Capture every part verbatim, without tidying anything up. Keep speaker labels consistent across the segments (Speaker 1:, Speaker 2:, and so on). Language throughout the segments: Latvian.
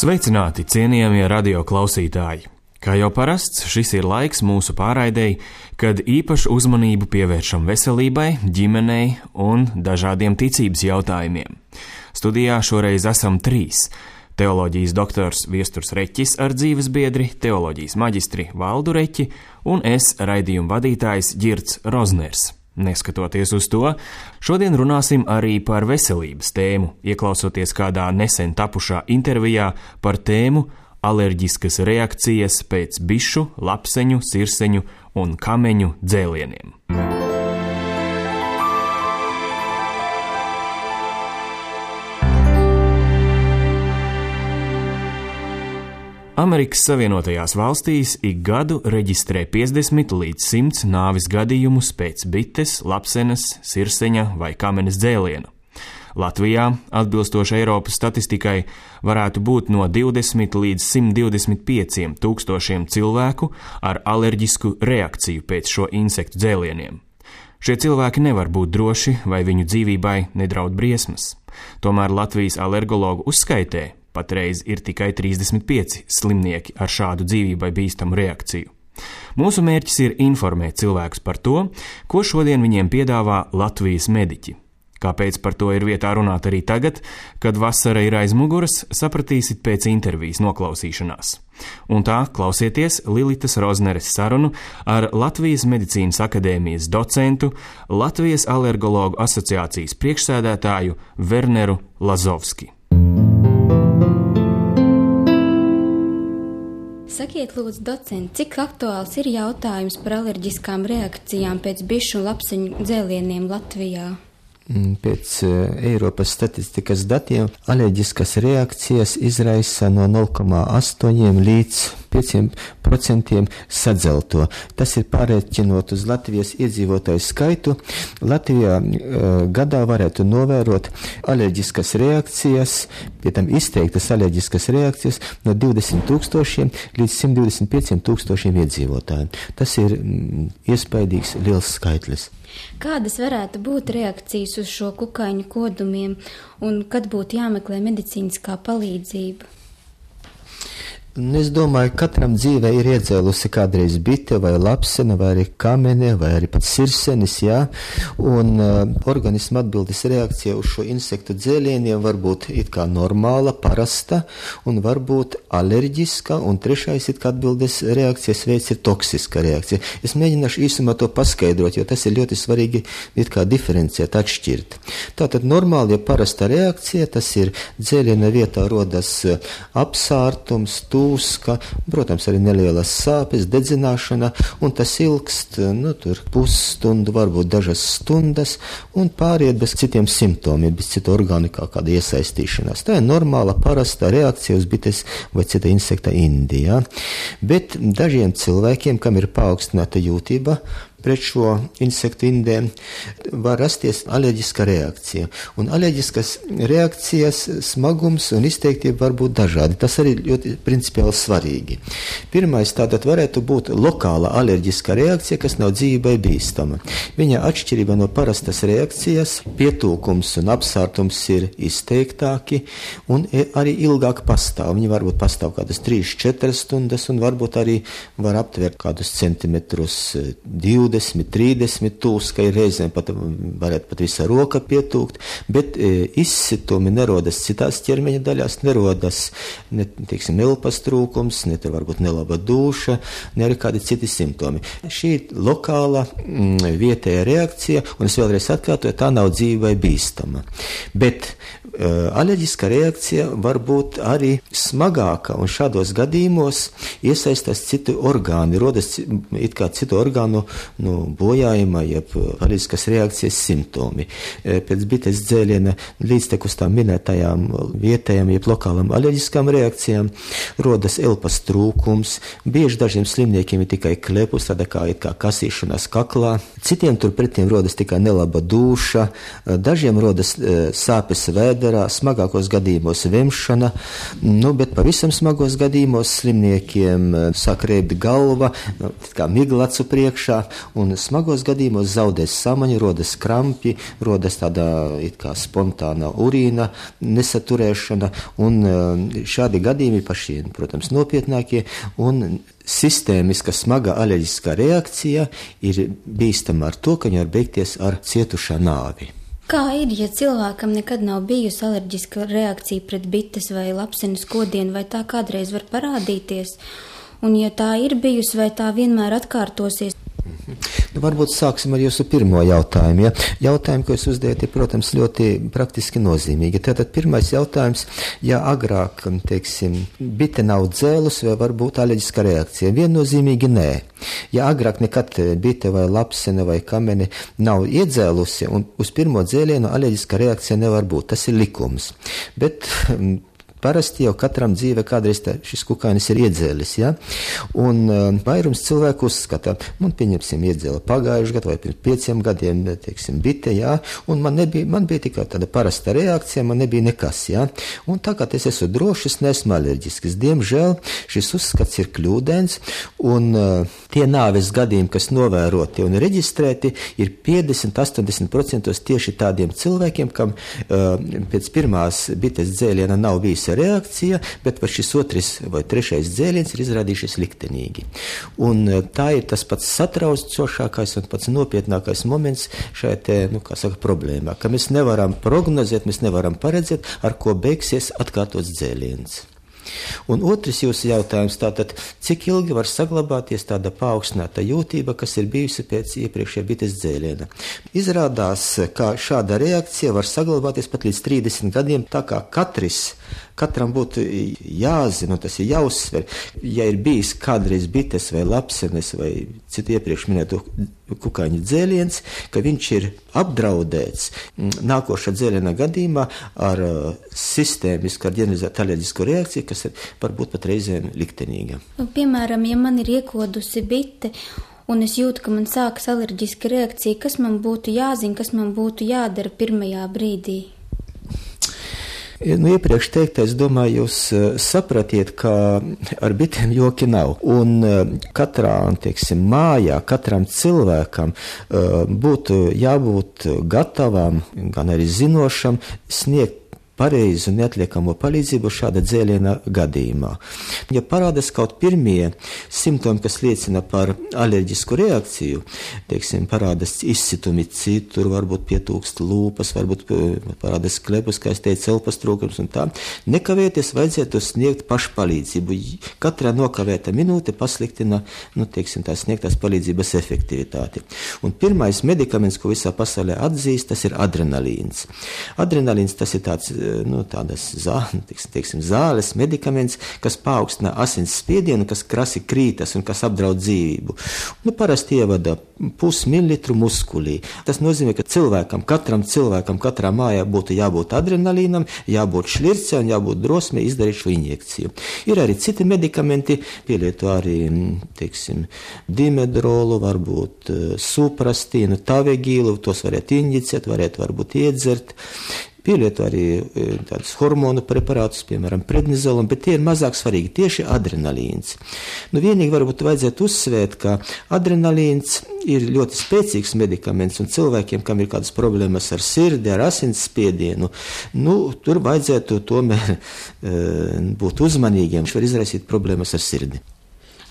Speaker 1: Sveicināti, cienījamie radio klausītāji! Kā jau parasts, šis ir laiks mūsu pārraidei, kad īpašu uzmanību pievēršam veselībai, ģimenei un dažādiem ticības jautājumiem. Studijā šoreiz esam trīs – teoloģijas doktors Viesturs Reķis ar dzīves biedri, teoloģijas maģistri Valdu Reķi un es, raidījuma vadītājs Ģirds Rozners. Neskatoties uz to, šodien runāsim arī par veselības tēmu, ieklausoties kādā nesen tapušā intervijā par tēmu alerģiskas reakcijas pēc bišu, lapseņu, sirseņu un kameņu dzēlieniem. Amerikas Savienotajās valstīs ik gadu reģistrē piecdesmit līdz simts nāvis gadījumus pēc bites, lapsenes, sirseņa vai kamenes dzēliena. Latvijā, atbilstoši Eiropas statistikai, varētu būt no divdesmit līdz simt divdesmit pieciem tūkstošiem cilvēku ar alerģisku reakciju pēc šo insektu dzēlieniem. Šie cilvēki nevar būt droši, vai viņu dzīvībai nedraud briesmas. Tomēr Latvijas alergologu uzskaitē patreiz ir tikai trīsdesmit pieci slimnieki ar šādu dzīvībai bīstamu reakciju. Mūsu mērķis ir informēt cilvēkus par to, ko šodien viņiem piedāvā Latvijas mediķi. Kāpēc par to ir vietā runāt arī tagad, kad vasara ir aiz muguras, sapratīsit pēc intervijas noklausīšanās. Un tā klausieties Lilitas Rozneres sarunu ar Latvijas medicīnas akadēmijas docentu, Latvijas alergologu asociācijas priekšsēdētāju Werneru Lazovski.
Speaker 2: Sakiet, lūdzu, docenti, cik aktuāls ir jautājums par alerģiskām reakcijām pēc bišu un lapseņu dzēlieniem Latvijā?
Speaker 3: Pēc Eiropas statistikas datiem alerģiskas reakcijas izraisa no nulle komats astoņi līdz pieciem procentiem sadzelto. Tas ir pārēķinot uz Latvijas iedzīvotāju skaitu. Latvijā uh, gadā varētu novērot alerģiskas reakcijas, pie tam izteiktas alerģiskas reakcijas no divdesmit tūkstošiem līdz simt divdesmit pieciem tūkstošiem iedzīvotājiem. Tas ir mm, iespaidīgs liels skaitlis.
Speaker 2: Kādas varētu būt reakcijas uz šo kukaiņu kodumiem un kad būtu jāmeklē medicīniskā palīdzība?
Speaker 3: Es domāju, ka katram dzīvē ir iedzēlusi kādreiz bite vai lapsene, vai arī kamene, vai arī pat sirsenis, jā, un uh, organisma atbildes reakcija uz šo insektu dzēlieniem var būt it kā normāla, parasta, un var būt alerģiska, un trešais it kā atbildes reakcijas veids ir toksiska reakcija. Es mēģināšu īsumā to paskaidrot, jo tas ir ļoti svarīgi it kā diferenciēt, atšķirt. Tātad normāla, ja parasta reakcija, tas ir dzēliena vietā rodas apsārtums, tūska, protams, arī nelielas sāpes, dedzināšana, un tas ilgst, nu, tur pusstundu, varbūt dažas stundas, un pāriet bez citiem simptomiem, bez citu orgānu kā kāda iesaistīšanās. Tā ir normāla, parasta reakcija uz bites vai cita insekta indi, ja? Bet dažiem cilvēkiem, kam ir paaugstināta jūtība pret šo insektu indēm, var rasties alerģiska reakcija. Un alerģiskas reakcijas smagums un izteiktība var būt dažādi. Tas arī ļoti principiāli svarīgi. Pirmais tātad varētu būt lokāla alerģiska reakcija, kas nav dzīvībai bīstama. Viņa atšķirība no parastas reakcijas, pietūkums un apsārtums ir izteiktāki un arī ilgāk pastāv. Viņi varbūt pastāv kādas trīs četras stundas un varbūt arī var aptvert kādus centimetrus divdesmit, trīsdesmit tūskai, reizēm pat varētu pat visa roka pietūkt, bet e, izsitumi nerodas citās ķermeņa daļās, nerodas, ne, teiksim, elpas trūkums, ne tur varbūt nelaba dūša, ne arī kādi citi simptomi. Šī lokāla mm, vietēja reakcija, un es vēlreiz atkārtoju, tā nav dzīvībai bīstama. Bet e, alerģiska reakcija var būt arī smagāka, un šādos gadījumos iesaistās citu orgāni, rodas it kā citu orgānu nu, bojājuma, jeb alerģiskas reakcijas simptomi. Pēc bites dzēliena līdztekus tām minētajām vietējām, jeb lokālām alerģiskām reakcijām rodas elpas trūkums, bieži dažiem slimniekiem ir tikai klepus, tāda kā, kā kasīšanās kaklā, citiem turpretiem rodas tikai nelaba dūša, dažiem rodas sāpes vēderā, smagākos gadījumos vemšana, nu, bet pavisam smagos gadījumos slimniekiem sāk rēbt galva, kā migla acu priekšā, un smagos gadījumos zaudēs samaņu, rodas krampi, rodas tāda it kā spontāna urīna nesaturēšana, un šādi gadījumi ir paši, protams, nopietnākie, un sistēmiska smaga alerģiskā reakcija ir bīstama ar to, ka viņa var beigties ar cietušā nāvi.
Speaker 2: Kā ir, ja cilvēkam nekad nav bijusi alerģiska reakcija pret bites vai lapsenes kodienu, vai tā kādreiz var parādīties? Un ja tā ir bijusi, vai tā vienmēr atkārtosies?
Speaker 3: Nu, varbūt sāksim ar jūsu pirmo jautājumu. Ja? Jautājumu, ko jūs uzdevāt, ir, protams, ļoti praktiski nozīmīgi. Tātad pirmais jautājums, ja agrāk, teiksim, bite nav dzēlus, vai var būt alerģiska reakcija? Viennozīmīgi nē. Ja agrāk nekad bite vai lapsene vai kamene nav iedzēlusi, un uz pirmo dzēlienu alerģiska reakcija nevar būt. Tas ir likums. Bet parasti jau katram dzīve kādreiz tā, šis kukainis ir iedzēlis, ja? Un uh, vairums cilvēku uzskata, man pieņemsim iedzēla pagājuši gadu vai pirms pieciem gadiem, teiksim, bite, ja? Un man, nebija, man bija tikai tāda parasta reakcija, man nebija nekas, ja? Un tā kā es esmu drošs, nesmu alerģisks. Diemžēl šis uzskats ir kļūdains, un uh, tie nāves gadījumi, kas novēroti un reģistrēti, ir piecdesmit līdz astoņdesmit procenti tieši tādiem cilvēkiem, kam uh, pēc pirmās bites dzēliena nav bijis reakcija, bet šis otrs vai trešais dzēliens ir izrādījušies liktenīgi. Un tā ir tas pats satraucošākais un pats nopietnākais moments šajā te, nu, kā saka, problēmā, ka mēs nevaram prognozēt, mēs nevaram paredzēt, ar ko beigsies atkārtots dzēliens. Un otrs jūsu jautājums, tātad, cik ilgi var saglabāties tāda paaugstināta jūtība, kas ir bijusi pēc iepriekšējā bites dzēliena. Izrādās, ka šāda reakcija var saglabāties pat līdz trīsdesmit gadiem, tā kā katrs, katram būtu jāzina, tas ir jāuzsver, ja ir bijis kādreiz bites vai lapsenes vai citu iepriekš minēto kukaiņu dzēliens, ka viņš ir apdraudēts nākošā dzēliena gadījumā ar uh, sistēmisku, ar ģeneralizētu alerģisku reakciju, kas ir varbūt pat reizēm liktenīga.
Speaker 2: Piemēram, ja man ir iekodusi bite, un es jūtu, ka man sākas alerģiska reakcija, kas man būtu jāzina, kas man būtu jādara pirmajā brīdī?
Speaker 3: Nu, iepriekš teikt, es domāju, jūs uh, sapratiet, ka ar bitēm joki nav. Un uh, katrā, teiksim, mājā, katram cilvēkam uh, būtu jābūt gatavam, gan arī zinošam, sniegt pareizu un neatliekamo palīdzību šāda dzēliena gadījumā. Ja parādās kaut pirmie simptomi, kas liecina par alerģisku reakciju, teiksim, parādās izsitumi citur, varbūt pietūkst lūpas, varbūt parādās klepus, kā es teicu, elpas trūkums un tā, nekavēties vajadzētu sniegt pašpalīdzību. Katrā nokavēta minūte pasliktina, nu, teiksim, tā sniegtās palīdzības efektivitāti. Un pirmais medikaments, ko visā pasaulē atzīst, tas ir adrenalīns. Adrenalīns, tas ir tāds, nu, tādas zā, teiksim, teiksim, zāles, medikaments, kas paaugstina asins spiedienu, kas krasi krītas un kas apdraud dzīvību. Nu, parasti ievada pusmililitru muskulī. Tas nozīmē, ka cilvēkam, katram cilvēkam, katrā mājā būtu jābūt adrenalīnam, jābūt šlircē un jābūt drosmē izdarīt šo injekciju. Ir arī citi medikamenti, pielieto arī, teiksim, dimedrolu, varbūt suprastīnu, tavegīlu, tos varētu injicēt, varētu varbūt iedzert. Pielieto arī tādus hormonu preparātus, piemēram, prednizolam, bet tie ir mazāk svarīgi, tieši adrenalīns. Nu, vienīgi varbūt vajadzētu uzsvērt, ka adrenalīns ir ļoti spēcīgs medikaments, un cilvēkiem, kam ir kādas problēmas ar sirdi, ar asinsspiedienu, nu, tur vajadzētu tomēr e, būt uzmanīgiem, viņš var izraisīt problēmas ar sirdi.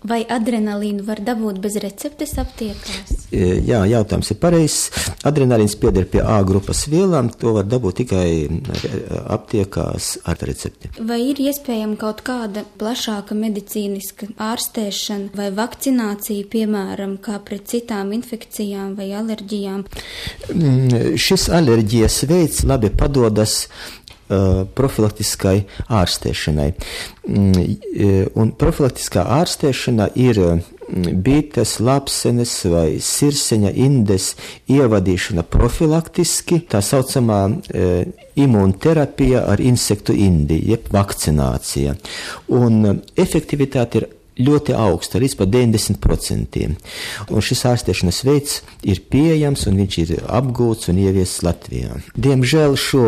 Speaker 2: Vai adrenalīnu var dabūt bez receptes aptiekās?
Speaker 3: Jā, jautājums ir pareizs. Adrenalīns pieder pie A grupas vielām, to var dabūt tikai aptiekās ar recepti.
Speaker 2: Vai ir iespējama kaut kāda plašāka medicīniska ārstēšana vai vakcinācija, piemēram, kā pret citām infekcijām vai alerģijām?
Speaker 3: Šis alerģijas veids labi padodas profilaktiskai ārstēšanai. Un profilaktiskā ārstēšana ir bites, lapsenes vai sirseņa indes ievadīšana profilaktiski, tā saucamā e, imūnterapija ar insektu indi, jeb vakcinācija. Un efektivitāte ir ļoti augsta, līdz pat deviņdesmit procentiem. Un šis ārstēšanas veids ir pieejams un viņš ir apgūts un ieviests Latvijā. Diemžēl šo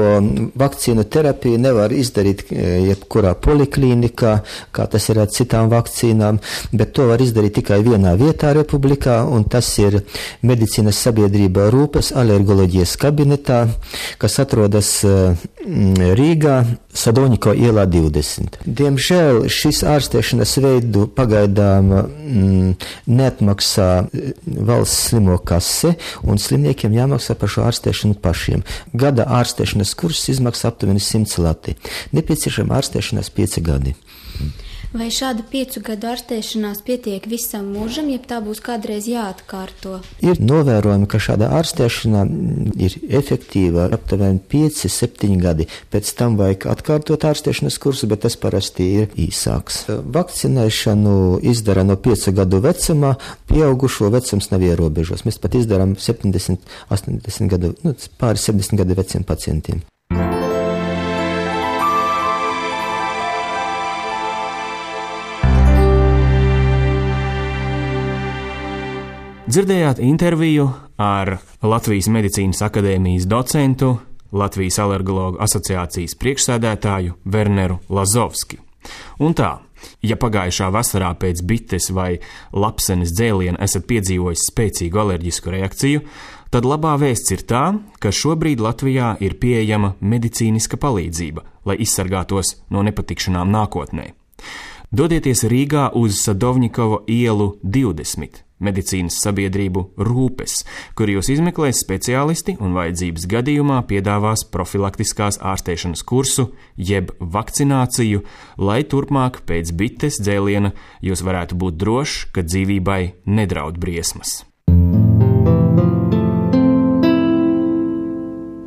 Speaker 3: vakcīnu terapiju nevar izdarīt jebkurā poliklinikā, kā tas ir ar citām vakcīnām, bet to var izdarīt tikai vienā vietā republikā, un tas ir medicīnas sabiedrībā Rūpes alergoloģijas kabinetā, kas atrodas Rīgā, Sadoniko ielā divdesmit. Diemžēl šis ārstēšanas veidu pagaidām mm, neatmaksā valsts slimo kase, un slimniekiem jāmaksā par šo ārstēšanu pašiem. Gada ārstēšanas kurs izmaksā aptuveni simts lati. Nepieciešama ārstēšanās pieci gadi.
Speaker 2: Vai šāda piecu gadu ārstēšanās pietiek visam mūžam, ja tā būs kādreiz jāatkārto?
Speaker 3: Ir novērojami, ka šāda ārstēšana ir efektīva aptuveni pieci septiņi gadi. Pēc tam vajag atkārtot ārstēšanas kursu, bet tas parasti ir īsāks. Vakcinēšanu izdara no piecu gadu vecumā, pieaugušo vecums nav ierobežos. Mēs pat izdarām septiņdesmit, astoņdesmit gadu, nu, pāri septiņdesmit gadu veciem pacientiem.
Speaker 1: Dzirdējāt interviju ar Latvijas Medicīnas akadēmijas docentu, Latvijas alergologu asociācijas priekšsēdētāju Werneru Lazovski. Un tā, ja pagājušā vasarā pēc bites vai lapsenes dzēliena esat piedzīvojis spēcīgu alerģisku reakciju, tad labā vēsts ir tā, ka šobrīd Latvijā ir pieejama medicīniska palīdzība, lai izsargātos no nepatikšanām nākotnē. Dodieties Rīgā uz Sadovņikovo ielu divdesmit. Medicīnas sabiedrību Rūpes, kur jūs izmeklēs speciālisti un vajadzības gadījumā piedāvās profilaktiskās ārstēšanas kursu jeb vakcināciju, lai turpmāk pēc bites dzēliena jūs varētu būt droši, ka dzīvībai nedraud briesmas.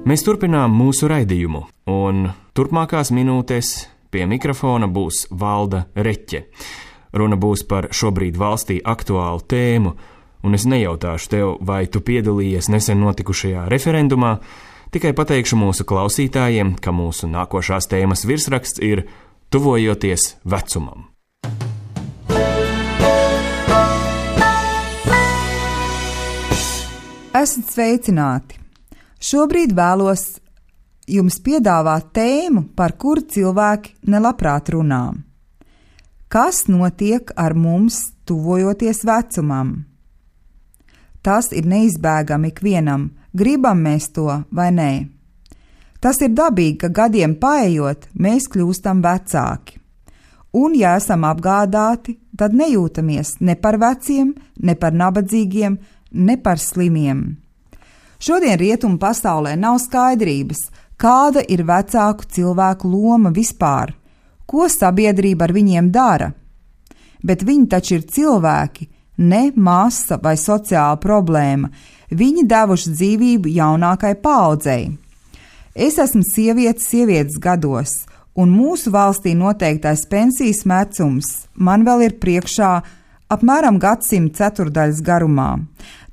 Speaker 1: Mēs turpinām mūsu raidījumu, un turpmākās minūtēs pie mikrofona būs Valda Reķe. Runa būs par šobrīd valstī aktuālu tēmu, un es nejautāšu tev, vai tu piedalījies nesen notikušajā referendumā, tikai pateikšu mūsu klausītājiem, ka mūsu nākošās tēmas virsraksts ir Tuvojoties vecumam.
Speaker 4: Esat sveicināti! Šobrīd vēlos jums piedāvāt tēmu, par kuru cilvēki nelabprāt runā. Kas notiek ar mums, tuvojoties vecumam? Tas ir neizbēgami ikvienam, gribam mēs to vai nē. Tas ir dabīgi, ka gadiem paejot, mēs kļūstam vecāki. Un, ja esam apgādāti, tad nejūtamies ne par veciem, ne par nabadzīgiem, ne par slimiem. Šodien rietumu pasaulē nav skaidrības, kāda ir vecāku cilvēku loma vispār. Ko sabiedrība ar viņiem dara? Bet viņi taču ir cilvēki, ne masa vai sociāla problēma. Viņi devuši dzīvību jaunākai paaudzei. Es esmu sieviete sievietes gados, un mūsu valstī noteiktais pensijas vecums man vēl ir priekšā apmēram gadsimta ceturdaļas garumā.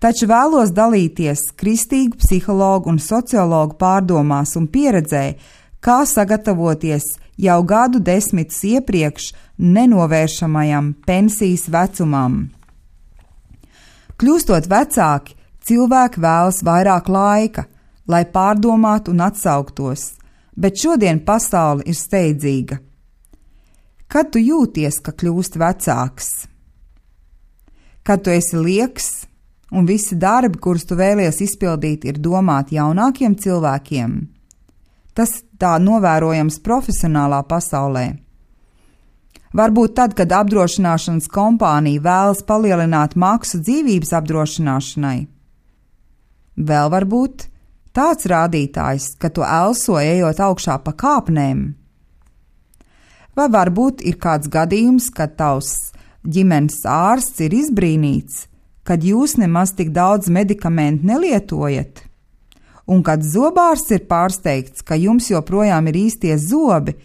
Speaker 4: Taču vēlos dalīties kristīgu psihologu un sociologu pārdomās un pieredzē, kā sagatavoties jau gadu desmitus iepriekš nenovēršamajam pensijas vecumam. Kļūstot vecāki, cilvēki vēlas vairāk laika, lai pārdomātu un atsauktos, bet šodien pasaule ir steidzīga. Kad tu jūties, ka kļūst vecāks? Kad tu esi lieks un visi darbi, kurus tu vēlies izpildīt, ir domāti jaunākiem cilvēkiem? Tas tā novērojams profesionālā pasaulē. Varbūt tad, kad apdrošināšanas kompānija vēlas palielināt maksu dzīvības apdrošināšanai. Vēl varbūt tāds rādītājs, ka tu elso ejot augšā pa kāpnēm. Vai varbūt ir kāds gadījums, kad tavs ģimenes ārsts ir izbrīnīts, kad jūs nemaz tik daudz medikamentu nelietojat? Un kad zobārsts ir pārsteigts, ka jums joprojām ir īstie zobi,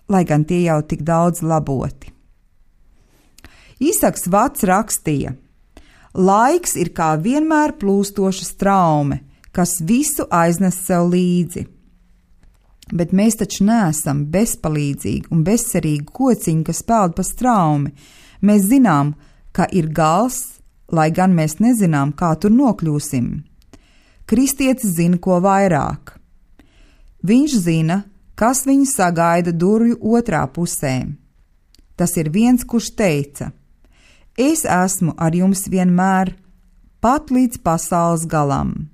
Speaker 4: lai gan tie jau tik daudz laboti. Īsaks Vats rakstīja: laiks ir kā vienmēr plūstoša straume, kas visu aiznes sev līdzi. Bet mēs taču neesam bezpalīdzīgi un bezcerīgi kociņi, kas peld pa straumi. Mēs zinām, ka ir gals, lai gan mēs nezinām, kā tur nokļūsim. Kristietis zina ko vairāk. Viņš zina, kas viņu sagaida durvju otrā pusē. Tas ir viens, kurš teica: Es esmu ar jums vienmēr, pat līdz pasaules galam.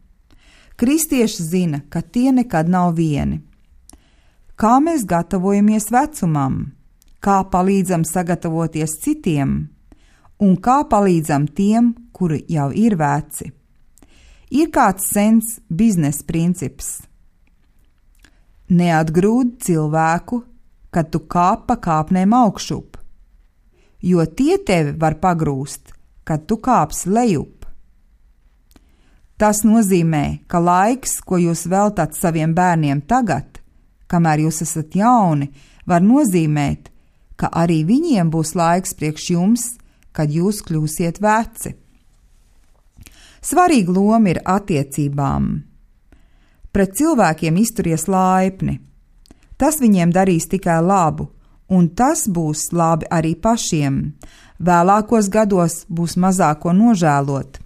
Speaker 4: Kristieši zina, ka tie nekad nav vieni. Kā mēs gatavojamies vecumam, kā palīdzam sagatavoties citiem un kā palīdzam tiem, kuri jau ir veci. Ir kāds sens biznesa princips. Neatgrūd cilvēku, kad tu kāp pa kāpnēm augšup, jo tie tevi var pagrūst, kad tu kāpsi lejup. Tas nozīmē, ka laiks, ko jūs veltat saviem bērniem tagad, kamēr jūs esat jauni, var nozīmēt, ka arī viņiem būs laiks priekš jums, kad jūs kļūsiet veci. Svarīga loma ir attiecībām. Pret cilvēkiem izturies laipni. Tas viņiem darīs tikai labu, un tas būs labi arī pašiem. Vēlākos gados būs mazāk ko nožēlot.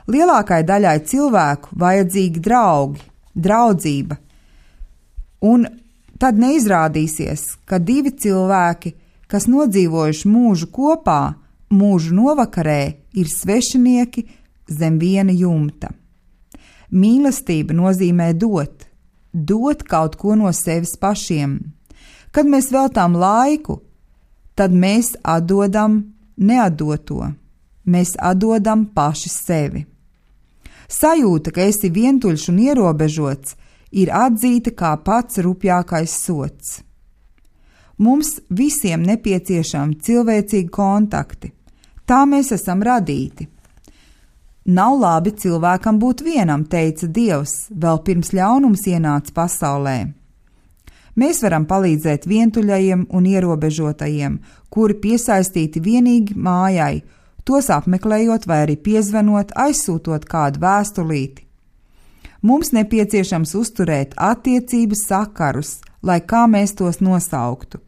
Speaker 4: Lielākai daļai cilvēku vajadzīgi draugi, draudzība. Un tad neizrādīsies, ka divi cilvēki, kas nodzīvojuši mūžu kopā, mūžu novakarē ir svešinieki zem viena jumta. Mīlestība nozīmē dot, dot kaut ko no sevis pašiem. Kad mēs veltām laiku, tad mēs atdodam neatdoto, mēs atdodam paši sevi. Sajūta, ka esi vientuļš un ierobežots, ir atzīta kā pats rupjākais sods. Mums visiem nepieciešami cilvēcīgi kontakti. Tā mēs esam radīti. Nav labi cilvēkam būt vienam, teica Dievs, vēl pirms ļaunums ienāca pasaulē. Mēs varam palīdzēt vientuļajiem un ierobežotajiem, kuri piesaistīti vienīgi mājai, tos apmeklējot vai arī piezvanot, aizsūtot kādu vēstulīti. Mums nepieciešams uzturēt attiecības sakarus, lai kā mēs tos nosauktu.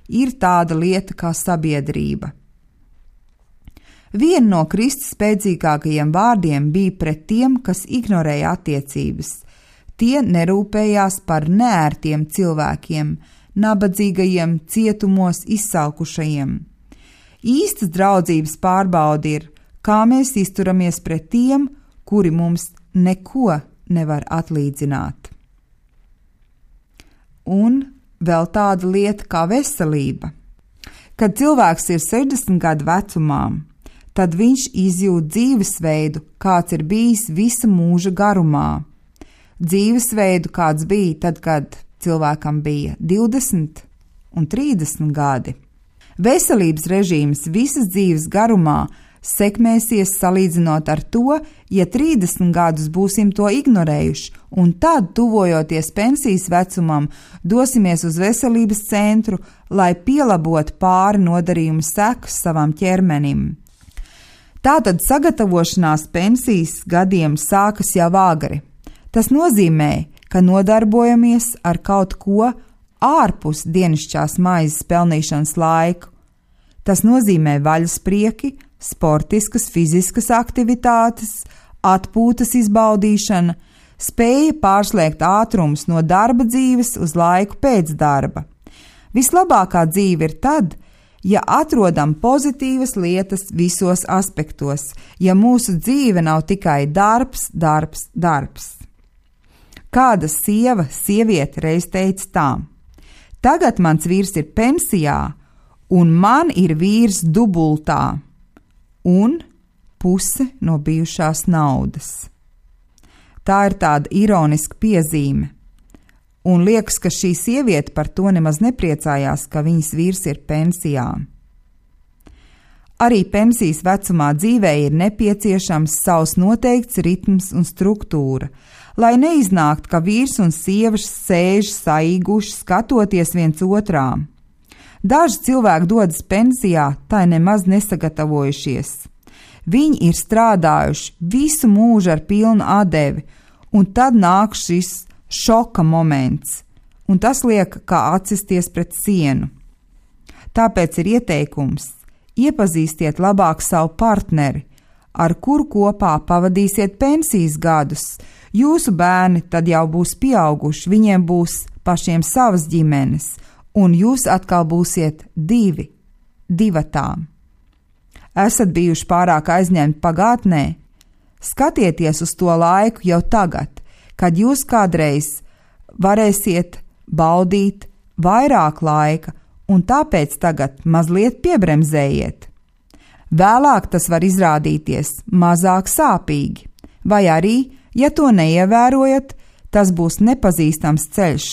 Speaker 4: Ir tāda lieta kā sabiedrība. Viena no Kristus spēcīgākajiem vārdiem bija pret tiem, kas ignorēja attiecības. Tie nerūpējās par neērtiem cilvēkiem, nabadzīgajiem, cietumos izsalkušajiem. Īstas draudzības pārbaude ir, kā mēs izturamies pret tiem, kuri mums neko nevar atlīdzināt. Un vēl tāda lieta kā veselība. Kad cilvēks ir sešdesmit gadu vecumā, tad viņš izjūt dzīvesveidu, kāds ir bijis visa mūža garumā. Dzīvesveidu, kāds bija tad, kad cilvēkam bija divdesmit un trīsdesmit gadi. Veselības režīms visas dzīves garumā sekmēsies salīdzinot ar to, ja trīsdesmit gadus būsim to ignorējuši, un tad, tuvojoties pensijas vecumam, dosimies uz veselības centru, lai pielabotu pāri nodarījumu sekas savam ķermenim. Tātad sagatavošanās pensijas gadiem sākas jau agri. Tas nozīmē, ka nodarbojamies ar kaut ko ārpus dienišķās maizes pelnīšanas laiku. Tas nozīmē vaļasprieki, sportiskas, fiziskas aktivitātes, atpūtas izbaudīšana, spēja pārslēgt ātrumus no darba dzīves uz laiku pēc darba. Vislabākā dzīve ir tad, ja atrodam pozitīvas lietas visos aspektos, ja mūsu dzīve nav tikai darbs, darbs, darbs. Kāda sieva, sieviete reiz teica tā: tagad mans vīrs ir pensijā, un man ir vīrs dubultā, un puse no bijušās naudas. Tā ir tāda ironiska piezīme, un liekas, ka šī sieviete par to nemaz nepriecājās, ka viņas vīrs ir pensijā. Arī pensijas vecumā dzīvē ir nepieciešams savs noteikts ritms un struktūra, lai neiznākt, ka vīrs un sieva sēž saīguši, skatoties viens otrā. Daži cilvēki dodas pensijā, tai nemaz nesagatavojušies. Viņi ir strādājuši visu mūžu ar pilnu atdevi, un tad nāk šis šoka moments, un tas liek kā atsisties pret sienu. Tāpēc ir ieteikums iepazīstiet labāk savu partneri, ar kuru kopā pavadīsiet pensijas gadus. Jūsu bērni tad jau būs pieauguši, viņiem būs pašiem savas ģimenes, un jūs atkal būsiet divi, divatām. Esat bijuši pārāk aizņemti pagātnē? Skatieties uz to laiku jau tagad, kad jūs kādreiz varēsiet baudīt vairāk laika, un tāpēc tagad mazliet piebremzējiet. Vēlāk tas var izrādīties mazāk sāpīgi, vai arī, ja to neievērojat, tas būs nepazīstams ceļš,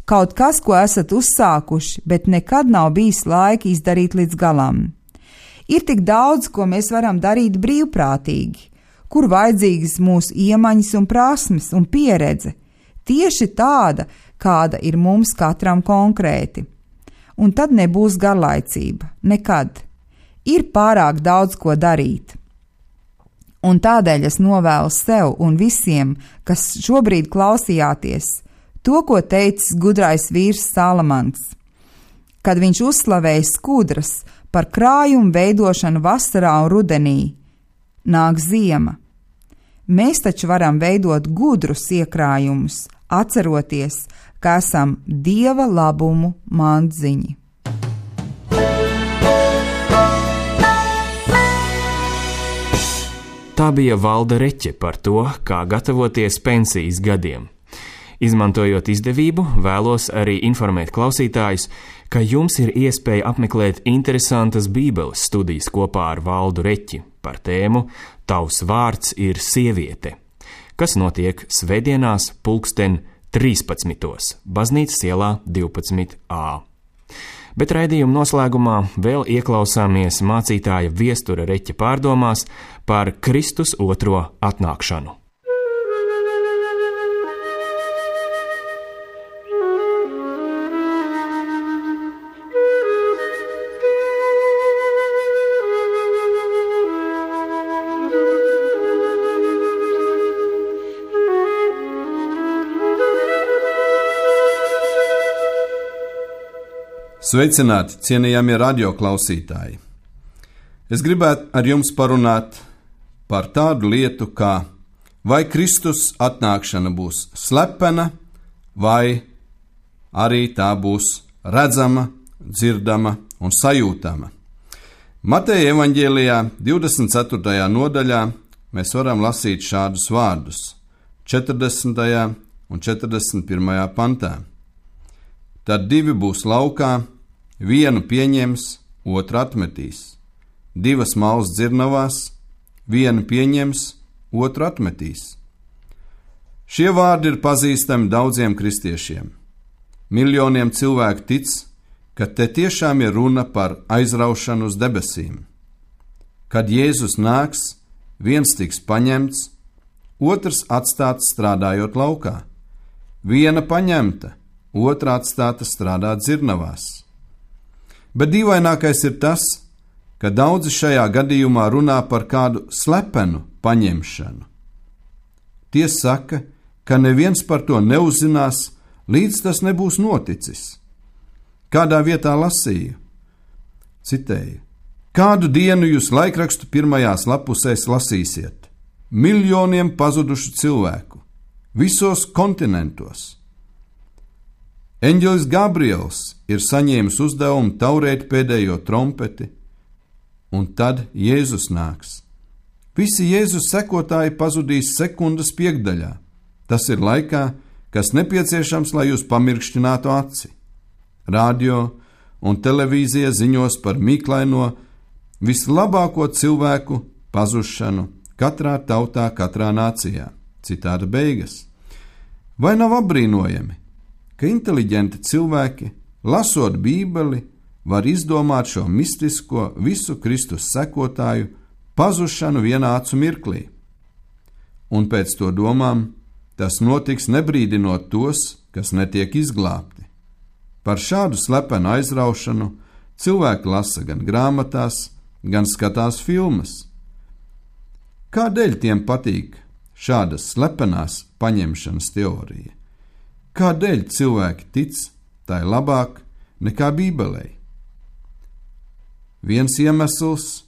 Speaker 4: kaut kas, ko esat uzsākuši, bet nekad nav bijis laika izdarīt līdz galam. Ir tik daudz, ko mēs varam darīt brīvprātīgi, kur vajadzīgas mūsu iemaņas un prasmes un pieredze, tieši tāda, kāda ir mums katram konkrēti. Un tad nebūs garlaicība, nekad. Ir pārāk daudz ko darīt. Un tādēļ es novēlu sev un visiem, kas šobrīd klausījāties, to, ko teicis gudrais vīrs Salamans, kad viņš uzslavēja skudras par krājumu veidošanu vasarā un rudenī. Nāk ziema. Mēs taču varam veidot gudrus iekrājumus, atceroties, ka esam Dieva labumu mandziņi.
Speaker 1: Tā bija Valda Reķe par to, kā gatavoties pensijas gadiem. Izmantojot izdevību, vēlos arī informēt klausītājus, ka jums ir iespēja apmeklēt interesantas Bībeles studijas kopā ar Valdu Reķi par tēmu Tavs vārds ir sieviete, kas notiek svētdienās pulksten trīspadsmitos, Baznīcas ielā divpadsmit A. Bet raidījuma noslēgumā vēl ieklausāmies mācītāja Viestura Reķa pārdomās par Kristus otro atnākšanu.
Speaker 5: Sveicināti, cienījamie radioklausītāji! Es gribētu ar jums parunāt par tādu lietu, kā vai Kristus atnākšana būs slepena, vai arī tā būs redzama, dzirdama un sajūtama. Mateja evaņģēlijā divdesmit ceturtajā nodaļā mēs varam lasīt šādus vārdus četrdesmitajā un četrdesmit pirmajā pantā. Tad divi būs laukā, vienu pieņems, otru atmetīs. Divas malas dzirnavās, vienu pieņems, otru atmetīs. Šie vārdi ir pazīstami daudziem kristiešiem. Miljoniem cilvēku tic, ka te tiešām ir runa par aizraušanu uz debesīm. Kad Jēzus nāks, viens tiks paņemts, otrs atstāts strādājot laukā. Viena paņemta, otra atstāta strādāt dzirnavās. Bet dīvainākais ir tas, ka daudzi šajā gadījumā runā par kādu slepenu paņemšanu. Tie saka, ka neviens par to neuzzinās, līdz tas nebūs noticis. Kādā vietā lasīju? Citēju: kādu dienu jūs laikrakstu pirmajās lapusēs lasīsiet? Miljoniem pazudušu cilvēku, visos kontinentos. Eņģelis Gabriels ir saņēmis uzdevumu taurēt pēdējo trompeti, un tad Jēzus nāks. Visi Jēzus sekotāji pazudīs sekundes piekdaļā. Tas ir laikā, kas nepieciešams, lai jūs pamirkštinātu aci. Radio un televīzija ziņos par mīklaino, vislabāko cilvēku pazušanu katrā tautā, katrā nācijā. Citāta beigas. Vai nav apbrīnojami, ka inteliģenti cilvēki, lasot Bībeli, var izdomāt šo mistisko visu Kristus sekotāju pazušanu vienā acu mirklī? Un pēc to domām, tas notiks nebrīdinot tos, kas netiek izglābti. Par šādu slepenu aizraušanu cilvēki lasa gan grāmatās, gan skatās filmas. Kādēļ tiem patīk šādas slepenās paņemšanas teorija? Kādēļ cilvēki tic tai labāk nekā Bībelei? Viens iemesls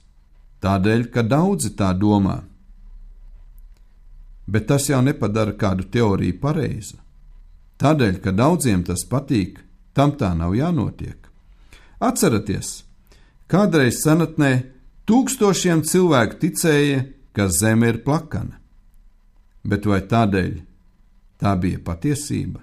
Speaker 5: tādēļ, ka daudzi tā domā. Bet tas jau nepadara kādu teoriju pareizu. Tādēļ, ka daudziem tas patīk, tam tā nav jānotiek. Atceraties, kādreiz senatnē tūkstošiem cilvēku ticēja, ka zeme ir plakana. Bet vai tādēļ tā bija patiesība?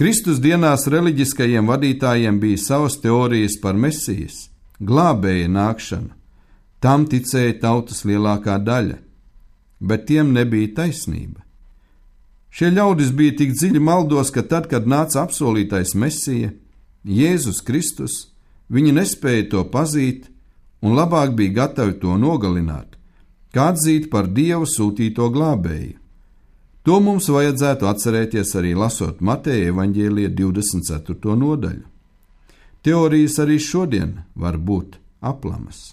Speaker 5: Kristus dienās reliģiskajiem vadītājiem bija savas teorijas par Mesijas, glābēja nākšanu. Tam ticēja tautas lielākā daļa, bet tiem nebija taisnība. Šie ļaudis bija tik dziļi maldos, ka tad, kad nāca apsolītais Mesija, Jēzus Kristus, viņi nespēja to pazīt un labāk bija gatavi to nogalināt, kā atzīt par Dievu sūtīto glābēju. To mums vajadzētu atcerēties arī lasot Mateja evaņģēlija divdesmit ceturto nodaļu. Teorijas arī šodien var būt aplamas.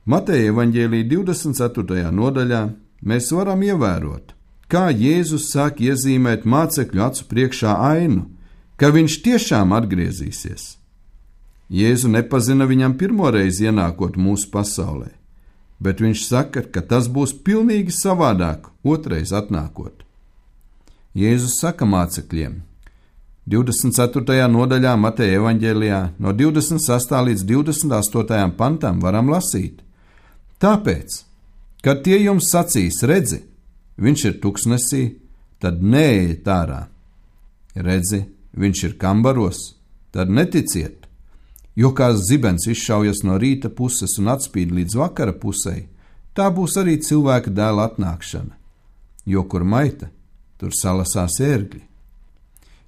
Speaker 5: Mateja evaņģēlija divdesmit ceturtajā nodaļā mēs varam ievērot, kā Jēzus sāk iezīmēt mācekļu acu priekšā ainu, ka viņš tiešām atgriezīsies. Jēzu nepazina viņam pirmoreiz ienākot mūsu pasaulē, bet viņš saka, ka tas būs pilnīgi savādāk otrais atnākot. Jēzus saka mācekļiem, divdesmit ceturtajā nodaļā Mateja evaņģēlijā no divdesmit sastā līdz divdesmit astotajam pantam varam lasīt. Tāpēc, kad tie jums sacīs, redzi, viņš ir tuksnesī, tad neejiet ārā. Redzi, viņš ir kambaros, tad neticiet, jo kā zibens izšaujas no rīta puses un atspīd līdz vakara pusei, tā būs arī cilvēka dēla atnākšana, jo kur maita, tur salasās ērgļi.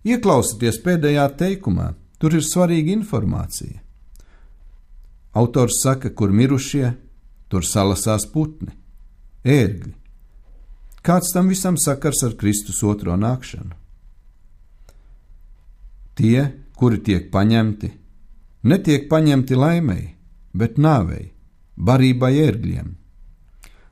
Speaker 5: Ieklausieties pēdējā teikumā, tur ir svarīga informācija. Autors saka, kur mirušie, tur salasās putni, ērgļi. Kāds tam visam sakars ar Kristus otro nākšanu? Tie, kuri tiek paņemti, netiek paņemti laimei, bet nāvei, barībai ērgļiem.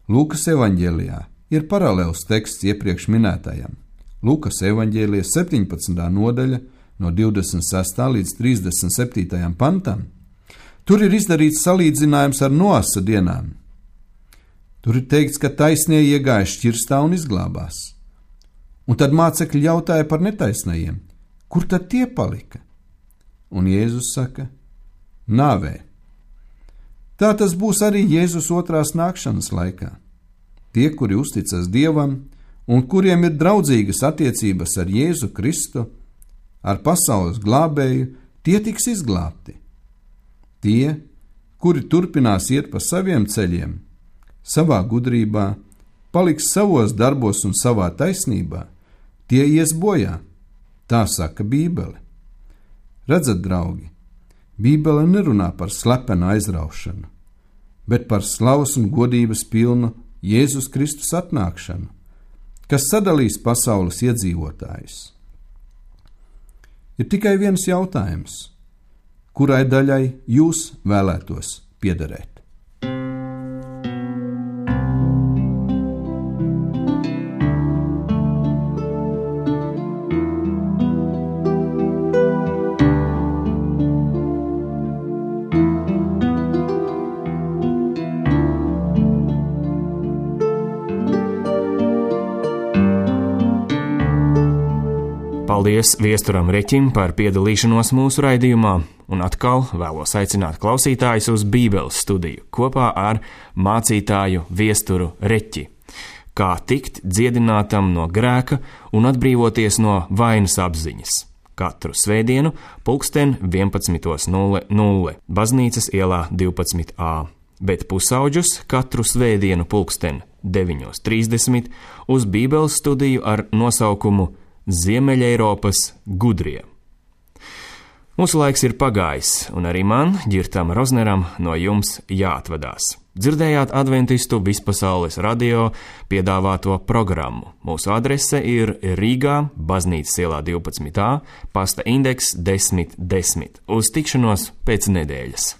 Speaker 5: Lūkas evaņģēlijā ir paralēls teksts iepriekš minētajam. Lūkas evaņģēlija septiņpadsmitā nodaļa no divdesmit sestā līdz trīsdesmit septītajam pantam. Tur ir izdarīts salīdzinājums ar Noasa dienām. Tur ir teikts, ka taisnie iegāja šķirstā un izglābās. Un tad mācekļi jautāja par netaisnajiem, kur tad tie palika? Un Jēzus saka, nāvē. Tā tas būs arī Jēzus otrās nākšanas laikā. Tie, kuri uzticas Dievam un kuriem ir draudzīgas attiecības ar Jēzu Kristu, ar pasaules glābēju, tie tiks izglābti. Tie, kuri turpinās iet pa saviem ceļiem, savā gudrībā, paliks savos darbos un savā taisnībā, tie ies bojā, tā saka Bībele. Redzat, draugi, Bībele nerunā par slepenu aizraušanu, bet par slavas un godības pilnu Jēzus Kristus atnākšanu, kas sadalīs pasaules iedzīvotājus. Ir tikai viens jautājums, kurai daļai jūs vēlētos piederēt?
Speaker 1: Paldies Viesturam Reķim par piedalīšanos mūsu raidījumā, un atkal vēlos aicināt klausītājus uz Bībeles studiju kopā ar mācītāju Viesturu Reķi. Kā tikt dziedinātam no grēka un atbrīvoties no vainas apziņas. Katru svētdienu pulksten vienpadsmit nulle nulle Baznīcas ielā divpadsmit A, bet pusauģus katru svētdienu pulksten deviņi trīsdesmit uz Bībeles studiju ar nosaukumu Ziemeļeiropas gudrie. Mūsu laiks ir pagājis, un arī man, Ģirtam Rozneram, no jums jāatvadās. Dzirdējāt adventistu vispasaules radio piedāvāto programmu. Mūsu adrese ir Rīgā, Baznīcas ielā divpadsmit A, pasta indeks desmit desmit. Uz tikšanos pēc nedēļas.